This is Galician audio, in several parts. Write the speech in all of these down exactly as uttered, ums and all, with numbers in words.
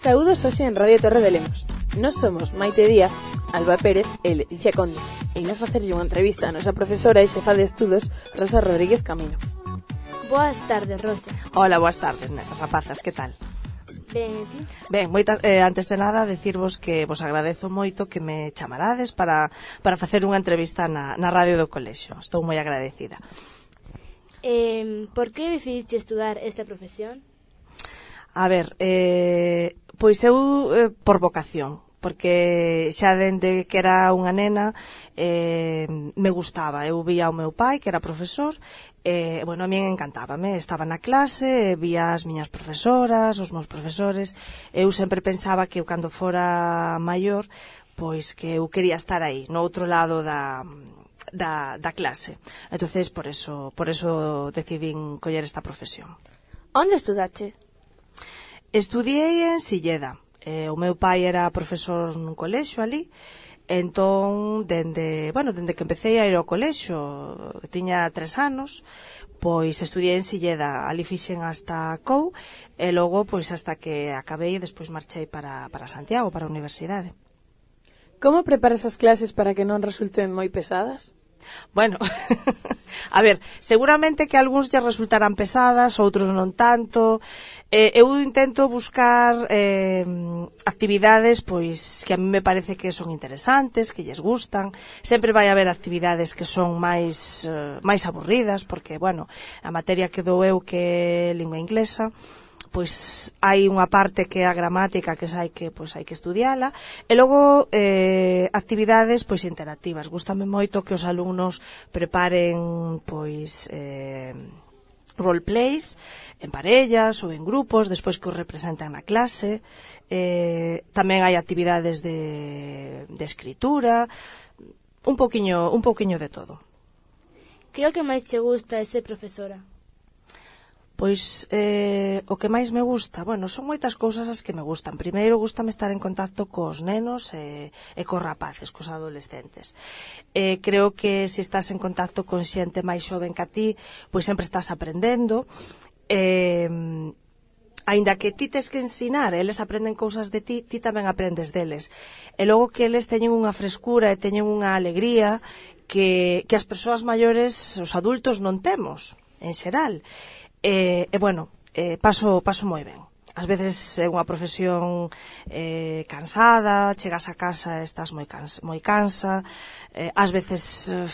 Saúdos hoxe en Radio Torre de Lemos. Nos somos Maite Díaz, Alba Pérez e Leticia Conde. E imos facerlle unha entrevista a nosa profesora e xefa de estudos, Rosa Rodríguez Camino. Boas tardes, Rosa. Hola, boas tardes, nenas, rapazas, que tal? Ben, e ti? Ben, moita, eh, antes de nada, decirvos que vos agradezo moito que me chamarades para, para facer unha entrevista na, na radio do colexio. Estou moi agradecida. Eh, por que decidiste estudar esta profesión? A ver, eh, pois eu eh, por vocación, porque xa dende que era unha nena eh, me gustaba. Eu vía ao meu pai, que era profesor, e, bueno, a mí encantábame. Estaba na clase, vía as miñas profesoras, os meus profesores. Eu sempre pensaba que eu, cando fora maior, pois que eu quería estar aí, no outro lado da... Da, da clase. Entonces, por eso, por eso decidín coller esta profesión. Onde estudaste? Estudiei en Silleda. Eh, o meu pai era profesor nun colexio ali. Entón, dende, bueno, dende que empecé a ir ao colexio, tiña tres anos, pois estudiei en Silleda. Ali fixen hasta COU e logo, pois, hasta que acabei e despois marchei para, para Santiago, para a universidade. Como preparas as clases para que non resulten moi pesadas? Bueno, a ver, seguramente que algúns lle resultarán pesadas, outros non tanto. Eh, eu intento buscar eh, actividades pois que a mí me parece que son interesantes, que lles gustan. Sempre vai haber actividades que son máis eh, máis aburridas, porque, bueno, a materia que dou eu, que é lingua inglesa, pois hai unha parte que é a gramática, que hai que pois hai que estudiala, e logo eh, actividades pois interactivas. Gústame moito que os alumnos preparen pois eh, roleplays en parellas ou en grupos, despois que os representan na clase. Eh, tamén hai actividades de, de escritura, un poquiño, un poquiño de todo. Que é o que máis te gusta de ser profesora? Pois eh, o que máis me gusta, bueno, son moitas cousas as que me gustan. Primeiro, gustame estar en contacto cos nenos e, e cos rapaces, cos adolescentes. Eh, creo que se estás en contacto con xente máis xoven que a ti, pois sempre estás aprendendo. Eh, aínda que ti tes que ensinar, eles aprenden cousas de ti, ti tamén aprendes deles. E logo que eles teñen unha frescura e teñen unha alegría que, que as persoas maiores, os adultos, non temos, en xeral. E, e bueno, eh, paso, paso moi ben. Ás veces é unha profesión eh, cansada, chegas a casa e estás moi cansa, moi cansa, eh, ás veces eh,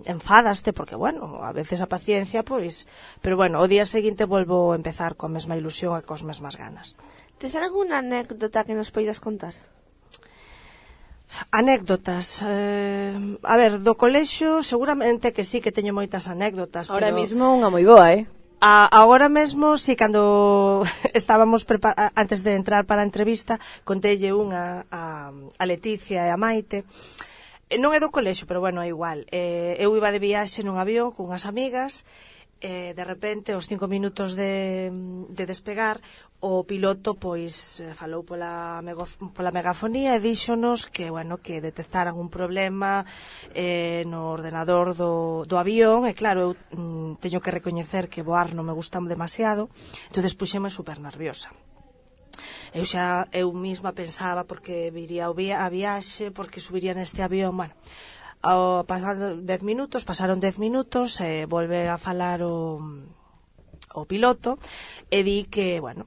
enfadaste, porque, bueno, a veces a paciencia, pois, pero, bueno, o día seguinte volvo a empezar coa mesma ilusión e cos mesmas ganas. Tes algunha anécdota que nos poidas contar? Anécdotas, eh, a ver, do colexio seguramente que sí que teño moitas anécdotas. Ahora pero... mismo unha moi boa, eh? A, agora mesmo, si, cando estábamos prepar- antes de entrar para a entrevista, contélle unha a, a Leticia e a Maite. E non é do colexio, pero bueno, é igual. Eh, eu iba de viaxe nun avión con unhas amigas, e de repente, aos cinco minutos de, de despegar, o piloto pois falou pola, pola megafonía e díxonos que, bueno, que detectaran un problema eh, no ordenador do, do avión. E claro, eu mm, teño que recoñecer que voar non me gusta demasiado, entonces puxeme super nerviosa. Eu xa, eu mesma pensaba porque viría o via, a viaxe, porque subiría neste avión, bueno. Ao pasar dez minutos, pasaron dez minutos, e volve a falar o, o piloto e di que, bueno,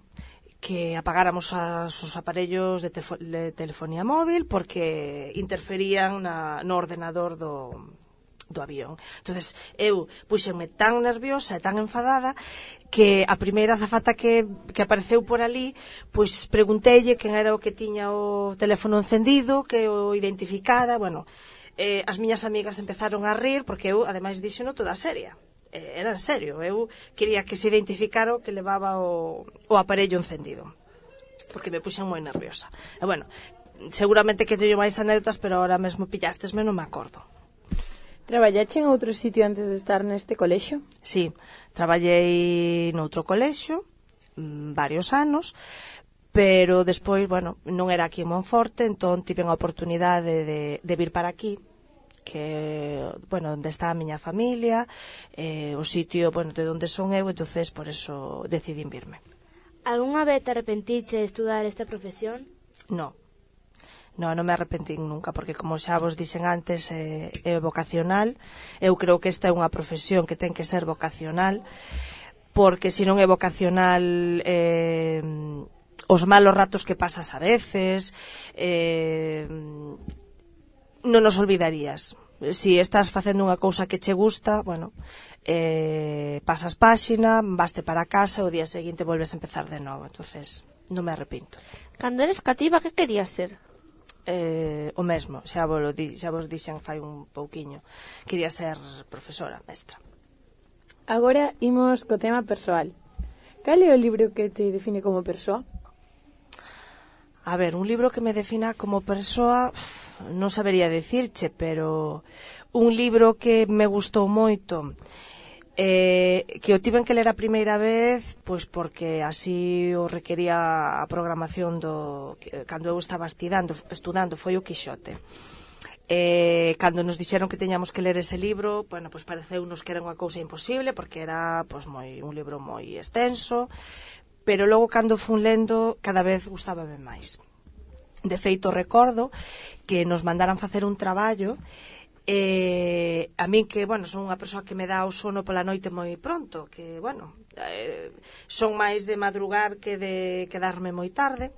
que apagáramos as, os aparellos de, tefo, de telefonía móvil porque interferían na, no ordenador do, do avión. Entonces eu puxenme tan nerviosa e tan enfadada que a primeira azafata que, que apareceu por ali, pois pregunteille quen era o que tiña o teléfono encendido, que o identificara. Bueno, eh, as miñas amigas empezaron a rir porque eu, ademais, díxeno toda seria. Eh, era en serio, eu quería que se identificara o que levaba o, o aparello encendido, porque me puxen moi nerviosa. E bueno, seguramente que teño máis anécdotas, pero ahora mesmo pillástesme, non me acordo. Traballache en outro sitio antes de estar neste colexio? Sí, traballei noutro colexio mmm, varios anos, pero despois, bueno, non era aquí en Monforte, entón tive a oportunidade de, de vir para aquí, que, bueno, onde está a miña familia, eh, o sitio, bueno, de onde son eu, entonces por eso decidín virme. Algúnha vez te arrepentiche de estudar esta profesión? No. No, non me arrepentín nunca, porque como xa vos dixen antes, é, é vocacional. Eu creo que esta é unha profesión que ten que ser vocacional, porque se non é vocacional, eh, os malos ratos que pasas a veces, eh, non nos olvidarías. Si estás facendo unha cousa que che gusta, bueno, eh, pasas páxina, vaste para casa, o día seguinte volves a empezar de novo. Entonces, non me arrepinto. Cando eres cativa, que querías ser? Eh, o mesmo, xa vos, lo di, xa vos dixen fai un pouquiño. Quería ser profesora, mestra. Agora imos co tema persoal. Cal é o libro que te define como persoa? A ver, un libro que me defina como persoa, non sabería decirche, pero un libro que me gustou moito, eh, que o tiven que ler a primeira vez, pois porque así o requería a programación do cando eu estaba estudando, estudando foi o Quixote. Eh, cando nos dixeron que teñamos que ler ese libro, bueno, pois pareceunos que era unha cousa imposible, porque era pois moi un libro moi extenso, pero logo cando fun lendo cada vez gustábame máis. De feito, recordo que nos mandaran facer un traballo. Eh, a min que, bueno, son unha persoa que me dá o sono pola noite moi pronto, que, bueno, eh, son máis de madrugar que de quedarme moi tarde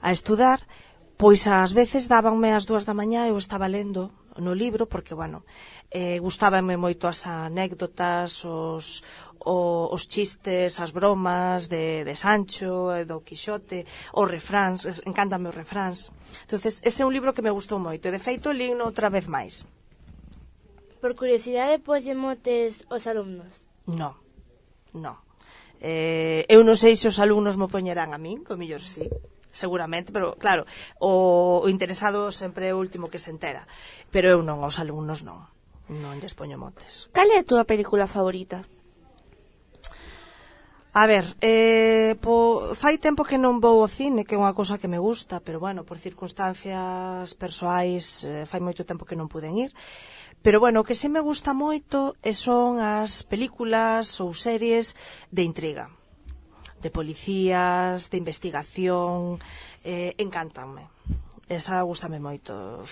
a estudar, pois ás veces dábanme as dúas da mañá e eu estaba lendo no libro, porque, bueno, eh, gustábame moito as anécdotas, os, o, os chistes, as bromas de, de Sancho, do Quixote, os refráns, encántame os refráns. Entonces, ese é un libro que me gustou moito, e de feito, lino outra vez máis. Por curiosidade, poslle motes os alumnos? No, no. Eh, eu non sei se os alumnos mo poñerán a min, co millor sí, seguramente, pero claro, o, o interesado sempre é o último que se entera. Pero eu non, os alumnos non, non lles poño motes. Cal é a túa película favorita? A ver, eh, po, fai tempo que non vou ao cine, que é unha cousa que me gusta, pero bueno, por circunstancias persoais, eh, fai moito tempo que non puden ir. Pero bueno, o que sí me gusta moito son as películas ou series de intriga, de policías, de investigación, eh, encántanme. Esa gustame moito.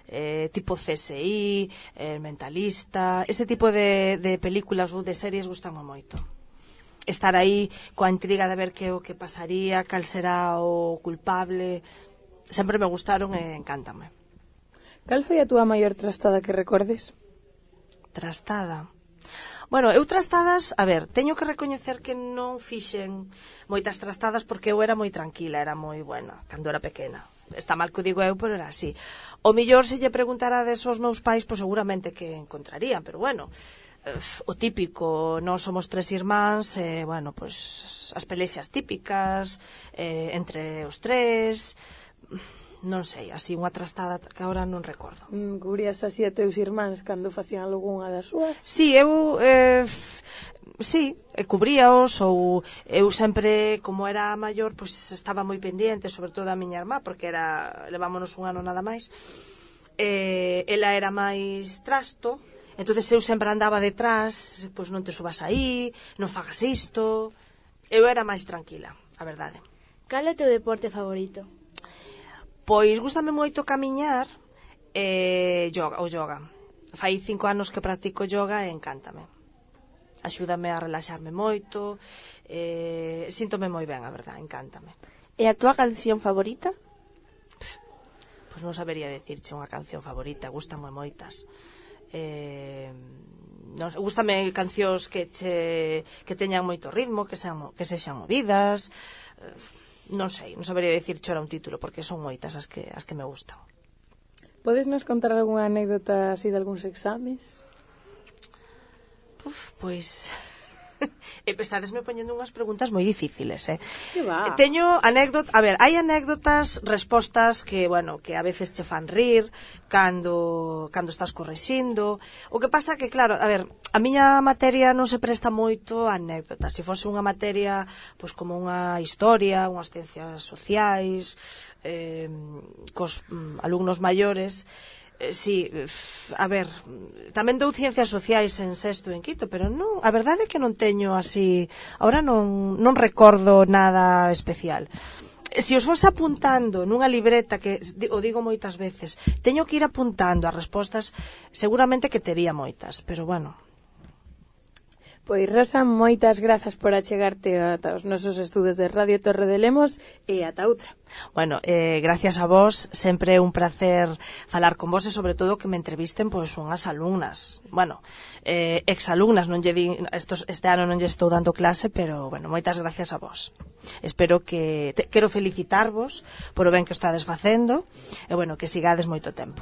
Eh, tipo C S I, El Mentalista, ese tipo de, de películas ou de series gustame moito. Estar aí coa intriga de ver que o que pasaría, cal será o culpable, sempre me gustaron e encántame. Cal foi a túa maior trastada que recordes? Trastada? Bueno, eu trastadas, a ver, teño que recoñecer que non fixen moitas trastadas porque eu era moi tranquila, era moi buena, cando era pequena. Está mal que o digo eu, pero era así. O millor se lle preguntarades aos meus pais, pois seguramente que encontrarían, pero bueno, o típico, nós somos tres irmáns, e, bueno, pois as pelexas típicas, eh, entre os tres, non sei, así unha trastada que agora non recordo. Mm, cubrías así a teus irmáns cando facían algunha das súas? Sí, eu, eh, sí, cubríaos, ou eu sempre, como era maior, pois estaba moi pendiente, sobre todo a miña irmá, porque era, levámonos un ano nada máis, eh, ela era máis trasto, entonces eu sempre andaba detrás, pois non te subas aí, non fagas isto, eu era máis tranquila, a verdade. Cal é o teu deporte favorito? Pois gústame moito camiñar e yoga, o yoga. Fai cinco anos que practico yoga e encántame. Axúdame a relaxarme moito, e síntome moi ben, a verdade, encántame. E a túa canción favorita? Pois non sabería decirche unha canción favorita, gústame moitas. Eh, non, gústame cancións que che, que teñan moito ritmo, que sean, que sexan movidas. Eh, non sei, non sabería dicirche ora un título, porque son moitas as que, as que me gustan. Podes nos contar algunha anécdota así de algúns exames? Uf, pois... Estadesme poñendo unhas preguntas moi difíciles, eh? Que va? Teño anécdotas, a ver, hai anécdotas, respostas que, bueno, que a veces che fan rir cando cando estás correxindo. O que pasa que, claro, a ver, a miña materia non se presta moito a anécdotas. Se fose unha materia, pois como unha historia, unhas ciencias sociais, eh, cos mm, alumnos maiores, Eh, sí, a ver, tamén dou ciencias sociais en sexto e en quinto, pero non, a verdade é que non teño así, ahora non, non recordo nada especial. Se os vos apuntando nunha libreta, que o digo moitas veces, teño que ir apuntando as respostas, seguramente que tería moitas, pero bueno. Pois, Rosa, moitas grazas por achegarte ata os nosos estudos de Radio Torre de Lemos e ata outra. Bueno, eh, gracias a vos, sempre é un placer falar con vos e sobre todo que me entrevisten pois unhas alumnas, bueno, eh, exalumnas, non lle di, estos, este ano non lle estou dando clase, pero bueno, moitas gracias a vos. Espero que, te, quero felicitarvos por o ben que estades facendo e bueno, que sigades moito tempo.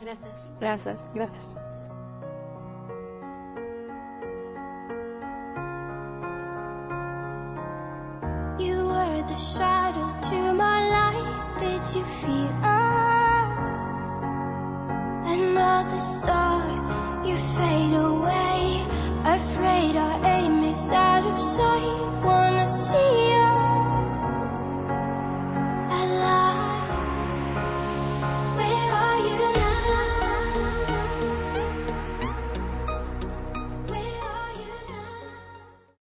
Grazas. Grazas. Grazas. You were the shadow to my light. Did you feel us? Another star, you fade away. Afraid our aim is out of sight. Wanna see